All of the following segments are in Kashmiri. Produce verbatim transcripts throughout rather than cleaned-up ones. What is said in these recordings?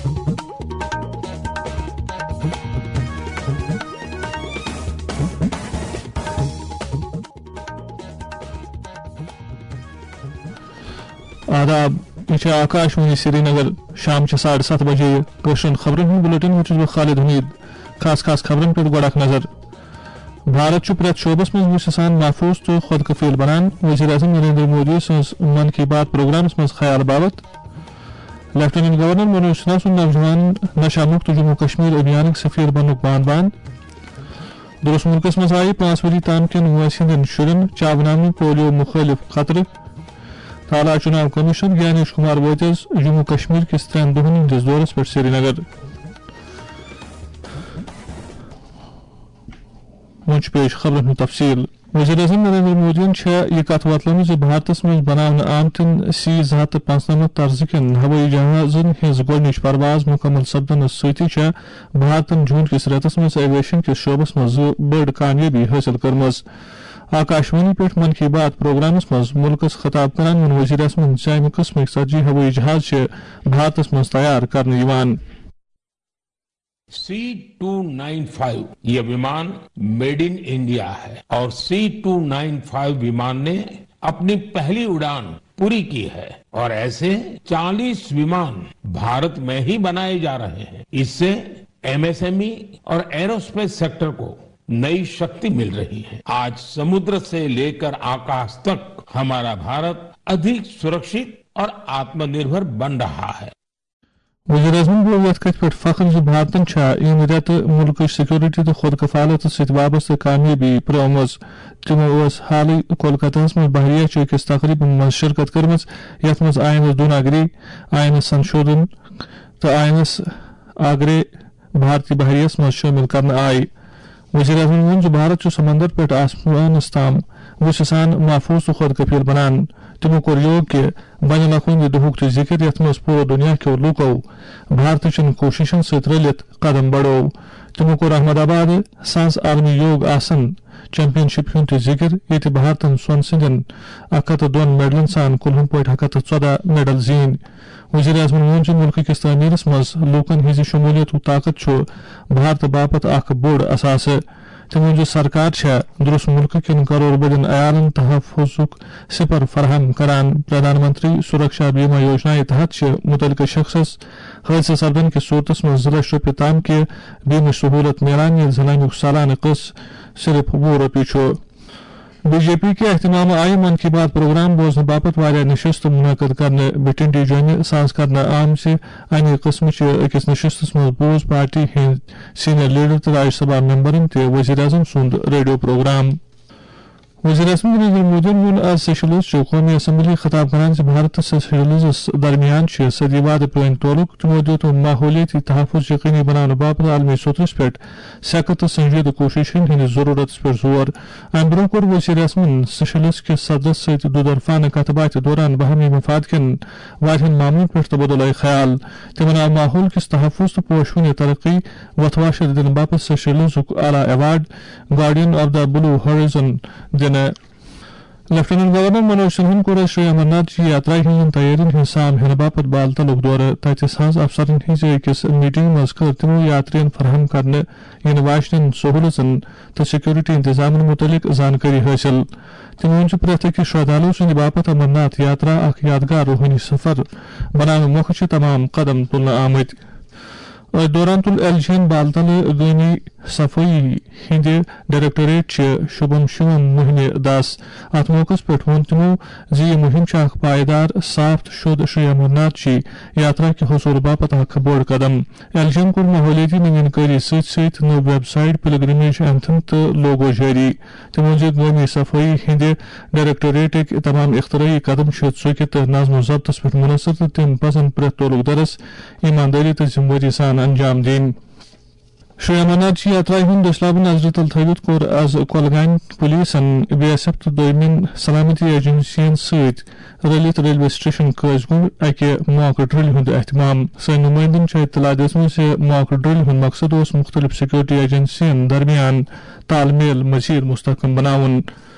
آداب، یہِ چھِ آکاش وانی سرینگر۔ شام چھِ ساڑٕ ستھ بجے۔ کٲشرٮ۪ن خبرن ہُنٛد بُلٹن وُچھُس بہٕ خالد حمید۔ خاص خاص خبرن پٮ۪ٹھ گۄڈٕ اکھ نظر۔ بھارت چھُ پرٛٮ۪تھ شعبس منٛز وُسہِ سان محفوظ تہٕ خۄد کفیل بنان، وزیر اعظم نریندر مودی سٕنٛز من کی بات پروگرامس منٛز خیال باوت۔ لیفٹیننٹ گورنر منوج سنہا سُنٛد نوجوان نشہ مکت جموں کشمیر ابھیانٕکۍ سفیر بننُک بان بان۔ درست ملکس منٛز آیہِ پانٛژھ ؤری تام کٮ۪ن وٲنٛسہِ ہٕنٛدٮ۪ن شُرٮ۪ن چاوناونہٕ پولیو مُخٲلِف قطرٕ۔ اعلیٰ چُناو کٔمِشنر گیانیش کُمار وٲتۍ آز جموں کشمیر کِس ترٛٮ۪ن دۄہَن ہٕنٛدِس دورَس پٮ۪ٹھ سرینگر۔ وۄنۍ چھُ پیش خبرن ہُنٛد تفصیل۔ وزیر اعظم نریندر مودیَن چھےٚ یہِ کتھ وۄتلٲومٕژ زِ بھارتس منٛز بناونہٕ آمتٮ۪ن سی زٕ ہتھ تہٕ پانٛژنمتھ طرزٕ کٮ۪ن ہوٲیی جہازن ہٕنٛز گۄڈٕنِچ پرواز مُکمل سپدنس سۭتی چھےٚ بھارتن جوٗن کِس رٮ۪تس منٛز ایویشن کِس شعبس منٛز زٕ بٔڑ کامیٲبی حٲصِل کٔرمٕژ۔ آکاشوانی پٮ۪ٹھ من کی بات پروگرامس منٛز مُلکس خطاب کران ووٚن وزیر اعظمن زِ اَمہِ قٕسمٕکۍ ژتجی ہوٲیی جہاز چھِ بھارتس منٛز تیار کرنہٕ یِوان۔ سی ٹو نائن فائیو یہ विमान मेड इन इंडिया है और सी टू नाइन फाइव विमान ने अपनी पहली उड़ान पूरी की है और ऐसे चालीस विमान भारत में ही बनाए जा रहे हैं। इससे एमएसएमई और एरोस्पेस सेक्टर को नई शक्ति मिल रही है। आज समुद्र से लेकर आकाश तक हमारा भारत अधिक सुरक्षित और आत्मनिर्भर बन रहा है। وزیر اعظمن بوو یتھ کتھِ پٮ۪ٹھ فخر زِ بھارتن چھا ییٚمہِ رٮ۪تہٕ مُلکٕچ سیکورٹی تہٕ خود کفالت سۭتۍ وابستہٕ کامیٲبی پرٲومٕژ۔ تِمو ٲس حالٕے کولکتہس منٛز بحریہ چہِ أکِس تقریبہِ منٛز شرکت کٔرمٕژ، یتھ منٛز I N S Dunagiri, I N S Sanshodhan تہٕ آئی این ایس آگرے بھارتی بحریہ ہس منٛز شٲمِل کرنہٕ آیہِ۔ وزیر اعظمن ووٚن زِ بھارت چھُ سمندر پٮ۪ٹھ آسمانس تام وُسہِ سان محفوظ تہٕ خۄد کفیل بنان۔ تِمو کوٚر یوگ کہِ بین الاقوٲمی دۄہُک تہِ ذِکِر، یَتھ منٛز پوٗرٕ دُنیا کیو لوٗکو بھارتٕچن کوٗشِشن سۭتۍ رٔلِتھ قدم بڑوو۔ تِمو کوٚر احمد آباد سانس عالمی یوگ آسن چیمپین شپ ہُنٛد تہِ ذِکِر، ییٚتہِ بھارتن سۄنہٕ سٕنٛدٮ۪ن اکھ ہتھ تہٕ دۄن میڈلن سان کُلہُم پٲٹھۍ اکھ ہتھ تہٕ ژۄدہ میڈل زیٖنۍ۔ وزیر اعظمن ووٚن زِ مُلکہٕ کِس تعمیرس منٛز لوٗکن ہٕنٛزِ شمولیتُک طاقت چھُ بھارتہٕ باپتھ اکھ بوٚڑ اثاثہٕ۔ تٔمۍ ووٚن زِ سرکار چھےٚ درست مُلکہٕ کٮ۪ن کرور بٔدٮ۪ن عیالن تحفظُک سپر فراہم کران۔ پردھان منتری سرکشا بیمہ یوجنایہِ تحت چھِ مُتعلقہٕ شخصس حٲدثہٕ سپدن کِس صوٗرتس منٛز زٕ لچھ رۄپیہِ تام کہِ بیمٕچ سہوٗلت میلان، ییٚلہِ زن امیُک سالانہٕ قٕسط صرف وُہ رۄپیہِ چھُ۔ بی جے پی کہِ اہتمامہٕ آیہِ من کی بات پروگرام بوزنہٕ باپتھ واریاہ نشستہٕ منعقد کرنہٕ۔ بٹھنڈی جوٚمہِ ساز کرنہٕ آمژِ اَمہِ قٕسمٕچہِ أکِس نشستس منٛز بوٗز پارٹی ہٕنٛدۍ سینئر لیڈر تہٕ راجیہ سبھا ممبرن تہِ وزیر اعظم سُنٛد ریڈیو پروگرام۔ وزیر اعظم نریندر مودیَن ووٚن آز سیشلز چہِ قومی اسمبلی خطاب کران زِ بھارت تہٕ سیشلزس درمیان چھِ صدی وادٕ پرٲنۍ تعلق۔ تِمو دِیُت ماحولیٲتی تحفظ یقینی بناونہٕ باپتھ عالمی سطحس پٮ۪ٹھ سخت تہٕ سنجیدٕ کوٗششن ہٕنٛدِس ضروٗرتس پٮ۪ٹھ زور۔ امہِ برٛونٛہہ کوٚر وزیر اعظمن سیشلز کِس صدرس سۭتۍ دُدرفانہٕ کتھ باتھِ دوران باہمی مفاد کٮ۪ن واریاہن معاملن پٮ۪ٹھ تبادلہ خیال۔ تِمن آو ماحول کِس تحفظ تہٕ پوشوٕنہِ ترقی وۄتھواشر دِنہٕ باپتھ سیشلزُک اعلیٰ award guardian of the blue horizon دِنہٕ۔ لیفٹیننٹ گورنر منوج سنہاہن کوٚر آز شری امرناتھ جی یاترا ہٕنٛزن تیٲرین ہٕنٛز سام ہینہٕ باپتھ بالتلُک دورٕ۔ تتہِ ساز افسرن ہٕنٛزِ أکِس میٹنگہِ منٛز کٔر تِمو یاترین فراہم کرنہٕ یِنہٕ واجنٮ۪ن سہوٗلژن تہٕ سیکورٹی انتظامن مُتعلق زانکٲری حٲصِل۔ تٔمۍ ووٚن زِ پرٛٮ۪تھ أکِس شردھالو سٕنٛدِ باپتھ امرناتھ یاترا اکھ یادگار روحٲنی سفر بناونہٕ مۄکھٕ چھِ تمام قدم تُلنہٕ آمٕتۍ۔ أتھۍ دوران تُل ایل جی یَن بالتلہٕ گٲمی صفٲیی ہٕنٛدِ ڈائریکٹوریٹ چہِ شُبھم شِوم مُہِمہِ دَس۔ اَتھ موقعس پٮ۪ٹھ ووٚن تِمَو زِ یہِ مُہِم چھِ اکھ پائیدار، صاف تہٕ شوٚد شری امرناتھ جی یاترا کہِ حصوٗل باپتھ اکھ بوٚڑ قدم۔ ایل جی یَن کوٚر ماحولیٲتی نوین کٲری سۭتۍ سۭتۍ نٔو ویب سائٹ، پلگرمیج اینتھم تہٕ لوگو جٲری۔ تٔمۍ ووٚن زِ گٲمی صفٲیی ہٕنٛدِ ڈائریکٹوریٹٕکۍ تمام اختراعی قدم چھِ ژُکہِ تہٕ نظم و ضبطس پٮ۪ٹھ منحصر تہٕ تِم پزن پرٛٮ۪تھ تعلق دارس ایماندٲری تہٕ ذمہٕ وٲری سان انجام دِنۍ۔ شری امرناتھ جی یاترا ہُنٛد دٔسلابہٕ نظرِ تل تھٲوِتھ کوٚر از کۄلگامۍ پُلیٖسن، بی ایس ایف تہٕ دوٚیمٮ۪ن سلامتی ایجنسین سۭتۍ رٔلِتھ ریلوے سٹیشن قٲضۍ گُنڈ اکہِ ماک ڈرل ہُنٛد اہتمام۔ سٲنۍ نُمٲیندن چھےٚ اطلاع دِژمٕژ زِ ماک ڈرل ہُنٛد مقصد اوس مُختٔلِف سیکورٹی ایجنسین درمیان تال میل مزید مستحکم بناوُن۔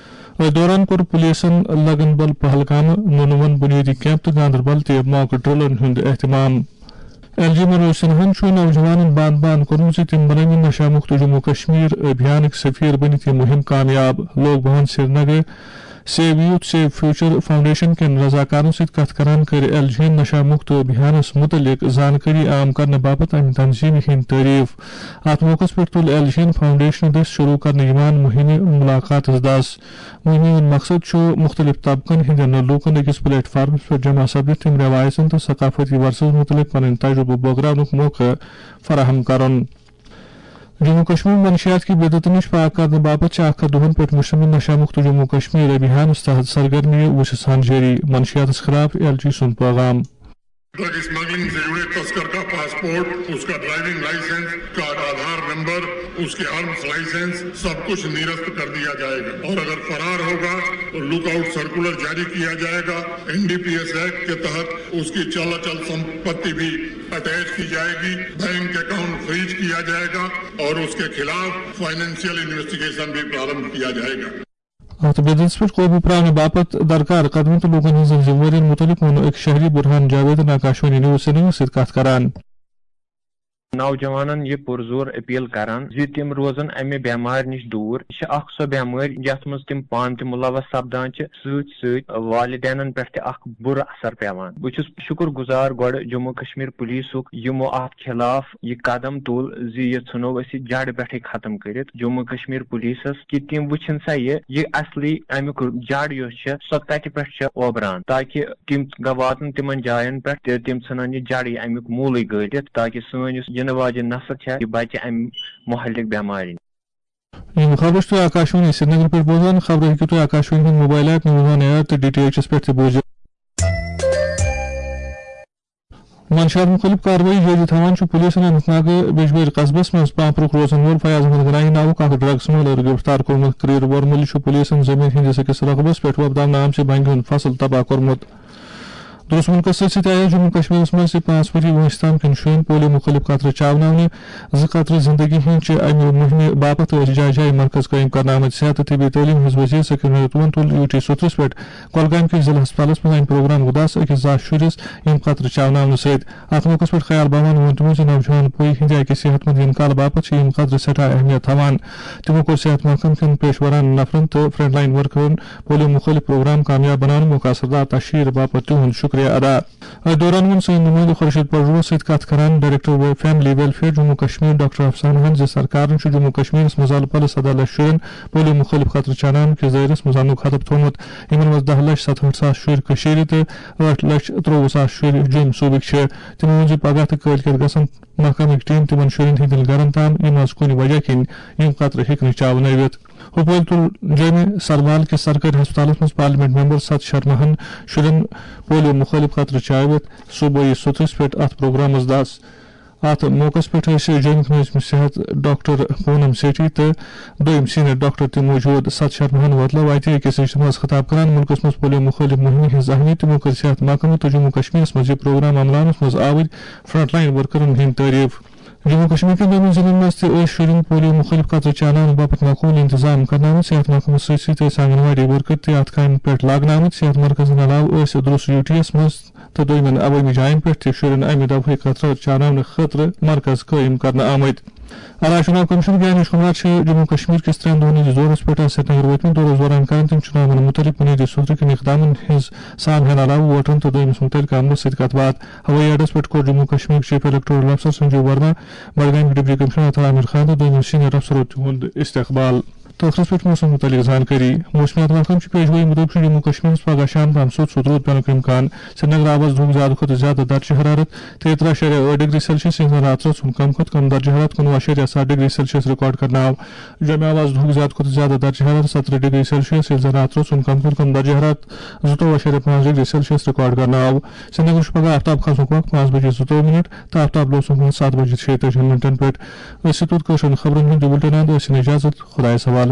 أتھۍ دوران کوٚر پُلیٖسن لگن بل پہلگامہٕ، نونوَن بُنیٲدی کیمپ تہٕ گاندربل تہِ ماک ڈرلن ہُنٛد اہتمام۔ ایل جی منوج سنہاہن چھُ نوجوانن بانہٕ بانہٕ کوٚرمُت زِ تِم بنٲوِن نشہ مُکت جموں کشمیر ابھیانٕکۍ سفیر، بٔنِتھ یہِ مُہِم کامیاب۔ Lok Bhavan Srinagar, save youth save future foundation کٮ۪ن رضاکارن سۭتۍ کتھ کران کٔر ایل جی یَن نشہ مُکت ابھیانس مُتعلق زانکٲری عام کرنہٕ باپتھ امہِ تنظیمہِ ہٕنٛدۍ تعریف۔ اتھ موقعس پٮ۪ٹھ تُل ایل جی یَن فاؤنڈیشنہٕ دٔسۍ شروع کرنہٕ یِوان مُہِمہِ مُلاقاتس دس۔ مُہِمہِ ہُنٛد مقصد چھُ مُختٔلِف طبقن ہٕنٛدٮ۪ن لوٗکن أکِس پلیٹ فارمس پٮ۪ٹھ جمع سپدِتھ تِم رٮ۪وایژن تہٕ ثقافتی ورثس مُتعلق پنٕنۍ تجرُبہٕ بٲگراونُک موقعہٕ فراہم کرُن۔ جموں کشمیر منشیات کہِ بدعتہٕ نِش پاک کرنہٕ باپتھ چھِ اکھ ہتھ دۄہن پٮ۪ٹھ مشتمل نشہ مکت جموں کشمیر ابھیانس تحت سرگرمیہِ وُچھِ سان جٲری، منشیاتس خلاف ایل جی سُنٛد پیغام۔ ڈرگ اسمگلنگ سے جڑے تسکر کا پاسپورٹ، اس کا ڈرائیونگ لائسنس، اس کا آدھار نمبر، اس کے آرمز لائسنس، سب کچھ نرست کر دیا جائے گا اور اگر فرار ہوگا تو لک آؤٹ سرکولر جاری کیا جائے گا۔ N D P S act کے تحت اس کی چل اچل سمپتی بھی اٹیچ کی جائے گی، بینک اکاؤنٹ فریز کیا جائے گا اور اس کے خلاف فائنینشیل انویسٹیگیشن بھی پرارمبھ کیا جائے گا۔ اتھ بدعتس پٮ۪ٹھ قوبوٗ پراونہٕ باپتھ درکار قدمن تہٕ لوٗکن ہٕنٛزن ذمہٕ وٲرین مُتعلق ووٚن أکۍ شہری برہان جاویدن آکاشوانی نیوز سرینگرس سۭتۍ کتھ کران۔ نوجوانن یہِ پُرزور اپیل کران زِ تِم روزن امہِ بٮ۪مارِ نِش دوٗر۔ یہِ چھِ اکھ سۄ بٮ۪مٲرۍ یتھ منٛز تِم پانہٕ تہِ مُلوث سپدان چھِ، سۭتۍ سۭتۍ والدینن پٮ۪ٹھ تہِ اکھ بُرٕ اثر پٮ۪وان۔ بہٕ چھُس شُکر گُزار گۄڈٕ جموں کشمیر پُلیٖسُک، یِمو اتھ خلاف یہِ قدم تُل زِ یہِ ژھٕنو أسۍ یہِ جڑٕ پٮ۪ٹھٕے ختم کٔرِتھ۔ جموں کشمیر پُلیٖسس کہِ تِم وٕچھِن سا یہِ، یہِ اصلی امیُک جڑ یۄس چھےٚ، سۄ کتہِ پٮ۪ٹھ چھےٚ اوبران، تاکہِ تِم گہ واتن تِمن جاین پٮ۪ٹھ تہٕ تِم ژھٕنن یہِ جڑٕے امیُک موٗلٕے گٲلِتھ، تاکہِ سٲنۍ یۄس یِنہٕ واجٮ۪ن نسل چھےٚ، یہِ بچہِ امہِ مُہلِک بٮ۪مارِ نِش۔ یِم خبرٕ چھِو تُہۍ آکاشوانی سرینگر پٮ۪ٹھ بوزان۔ خبرٕ ہیٚکِو تُہۍ آکاشوانی ہُنٛد mobile app, news on air تہٕ ڈی ٹی ایچ ایس پٮ۪ٹھ تہِ بوٗزِتھ۔ منشیات مُخٲلِف کاروٲیی جٲری تھاوان چھُ پُلیٖسن اننت ناگ بیجبٲرۍ قصبس منٛز پانپرُک روزن وول فیاض احمد گناہی ناوُک اکھ ڈرگ سمگلر گرفتار کوٚرمُت۔ کریر ورمُلہِ چھُ پُلیٖسن زٔمیٖن ہٕنٛدِس أکِس رقبس پٮ۪ٹھ وۄپداونہٕ آمژِ بنگہِ ہُنٛد فصل تباہ کوٚرمُت۔ درست مُلکس سۭتۍ سۭتۍ آیہِ جموں کشمیرس منٛز تہِ پانٛژھ ؤری وٲنٛسہِ تام کٮ۪ن شُرٮ۪ن پولیو مُخٲلِف قطرٕ چاوناونہٕ۔ زٕ قطرٕ زندگی ہٕنٛز چھِ امہِ مُہِمہِ باپتھ ٲسۍ جایہِ جایہِ مرکز قٲیِم کرنہٕ آمٕتۍ۔ صحت تہٕ طبی تعلیٖم ہٕنٛز وزیر سکین رتوٗہن تُل یوٗ ٹی سترس پٮ۪ٹھ کۄلگامہِ کِس ضلع ہسپتالس منٛز امہِ پروگرامُک دس أکِس زاہ شُرِس یِم قطرٕ چاوناونہٕ سۭتۍ۔ اتھ موقعس پٮ۪ٹھ خیال باوان ووٚن تِمو زِ نوجوان پُے ہٕنٛدِ اکہِ صحت مند انکال باپتھ چھِ یِم قطرٕ سٮ۪ٹھاہ اہمیت تھاوان۔ تِمو کوٚر صحت محکمہٕ کٮ۪ن پیشہٕ ورانہٕ نفرن تہٕ فرنٹ لائن ورکرن پولیو مُخٲلِف پروگرام کامیاب بناونہٕ مۄکھٕ اثردار تشہیر باپتھ تِہُنٛد شُکریہ ادا۔ أتھۍ دوران ووٚن سٲنۍ نُمٲیندٕ خورشید پروَس سۭتۍ کَتھ کران director family welfare Jammu Kashmir doctor افسانہ ہن زِ سرکارن چھُ جموں کشمیرس منٛز الہٕ پلہٕ سدہ لچھ شُرٮ۪ن پولیو مُخٲلِف قطرٕ چاناونہٕ کِس دٲیرس منٛز اننُک ہدف تھوٚومُت۔ یِمن منٛز دہ لچھ ستہٲٹھ ساس شُرۍ کٔشیٖرِ تہٕ ٲٹھ لچھ ترٛۆوُہ ساس شُرۍ جوٚمۍ صوٗبٕکۍ چھِ۔ تِمو ووٚن زِ پگاہ تہٕ کٲلۍ کٮ۪تھ گژھن محکمٕکۍ ٹیٖم تِمن شُرٮ۪ن ہٕنٛدٮ۪ن گرن تام، یِم از کُنہِ وجہ کِنۍ یِم قطرٕ ہیٚکہِ نہٕ چاونٲوِتھ۔ ہُپٲرۍ تُل جوٚمہِ سربال کِس سرکٲرۍ ہسپتالس منٛز پارلیمنٹ ممبر ست شرماہن شُرٮ۪ن پولیو مُخٲلِف قطرٕ چٲوِتھ صوبٲیی سترس پٮ۪ٹھ اتھ پروگرامس دس۔ اتھ موقعس پٮ۪ٹھ ٲسۍ جوٚمِکۍ نٲظِم صحت ڈاکٹر پونم سیٹھی تہٕ دوٚیِم سینئر ڈاکٹر تہِ موجود۔ ست شرماہن وۄتلٲو اتہِ أکِس اجتماعس خطاب کران مُلکس منٛز پولیو مُخٲلِف مُہِمہِ ہٕنٛز اہمیت۔ تِمو کٔر صحت محکمہٕ تہٕ جموں کشمیرس منٛز یہِ پروگرام عملاونس منٛز آوٕرۍ فرنٹ لائن ورکرن ہٕنٛدۍ تعریف۔ جموں کشمیر کٮ۪ن دۄنوَے ضلعن منٛز تہِ ٲسۍ شُرٮ۪ن پولیو مُخٲلِف قطرٕ چاناونہٕ باپتھ معقوٗل انتظام کرنہٕ آمٕتۍ۔ صحت محکمہٕ سۭتۍ سۭتۍ ٲسۍ آنگن واڑی ورکر تہِ اتھ کامہِ پٮ۪ٹھ لاگنہٕ آمٕتۍ۔ صحت مرکزن علاوٕ ٲسۍ درس یوٗ ٹی یس منٛز تہٕ دوٚیمٮ۪ن عوٲمی جاین پٮ۪ٹھ تہِ شُرٮ۪ن امہِ دوہٕکۍ قطرٕ چاناونہٕ خٲطرٕ مرکز قٲیِم کرنہٕ آمٕتۍ۔ علاقہٕ چُناو کمشنر گیانیش کمار چھِ جموں کشمیر کِس ترٛٮ۪ن دۄہن ہٕنٛدِس دورس پٮ۪ٹھ آز سرینگر وٲتمٕتۍ۔ دورس دوران کرن تِم چُناون مُتعلق بُنیٲدی سطحٕکٮ۪ن اقدامن ہٕنٛز سان ہٮ۪نہٕ علاوٕ ووٹرن تہٕ دوٚیمِس مُتعلقہٕ عملس سۭتۍ کتھ باتھ۔ ہوٲیی اڈس پٮ۪ٹھ کوٚر جموں کشمیرٕکۍ چیف الیکٹورل افسر سنجیو ورما، بڈگامٕکۍ ڈپٹی کمشنر اطہر عامر خان تہٕ دوٚیمِس سینئر افسرو تِہُنٛد استقبال۔ تہٕ ٲخرس پٮ۪ٹھ موسم مُتعلق زانکٲری۔ موسمیات محکمہٕ چھُ پیشگویی مُطٲبِق چھُ جموں کشمیرس پگاہ شام تام سوٚت سوٚت روٗد پٮ۪نُک امکان۔ سرینگر آو آز دُہُک زیادٕ کھۄتہٕ زیادٕ درجہٕ حرارت تیٚیہِ ترٛہ اَشاریہ ٲٹھ ڈگری سیلسیس، ییٚمہِ سان راتس اوس کم کھۄتہٕ کم درجہٕ حرارت کُنوُہ اَشاریہ ستھ ڈگری سیلسیس ریکارڈ کرنہٕ آو۔ جوٚمہِ آو آز دُہُک زیادٕ کھۄتہٕ زیادٕ درجہٕ حرارت ستترٕہ ڈگری سیلسیس، ییٚمہِ سان راتس اوس کم کھۄتہٕ کم درجہٕ حرارت زٕتووُہ اَشاریہ پانٛژھ ڈگری سیلسیس ریکارڈ کرنہٕ آو۔ سرینگرس چھُ پگاہ آفتاب کھسنُک وقت پانٛژھ بجے زٕتووُہ منٹ تہٕ آفتاب لوسنُک وقت ستھ بجے شیٚیہِ تٲجی منٹن پٮ۪ٹھ۔ أسۍ چھِ توٚت کٲشرٮ۪ن خبرن ہُنٛد یہِ بُلٹن اند، ٲسِن اجازت، خۄدایس حوالہٕ۔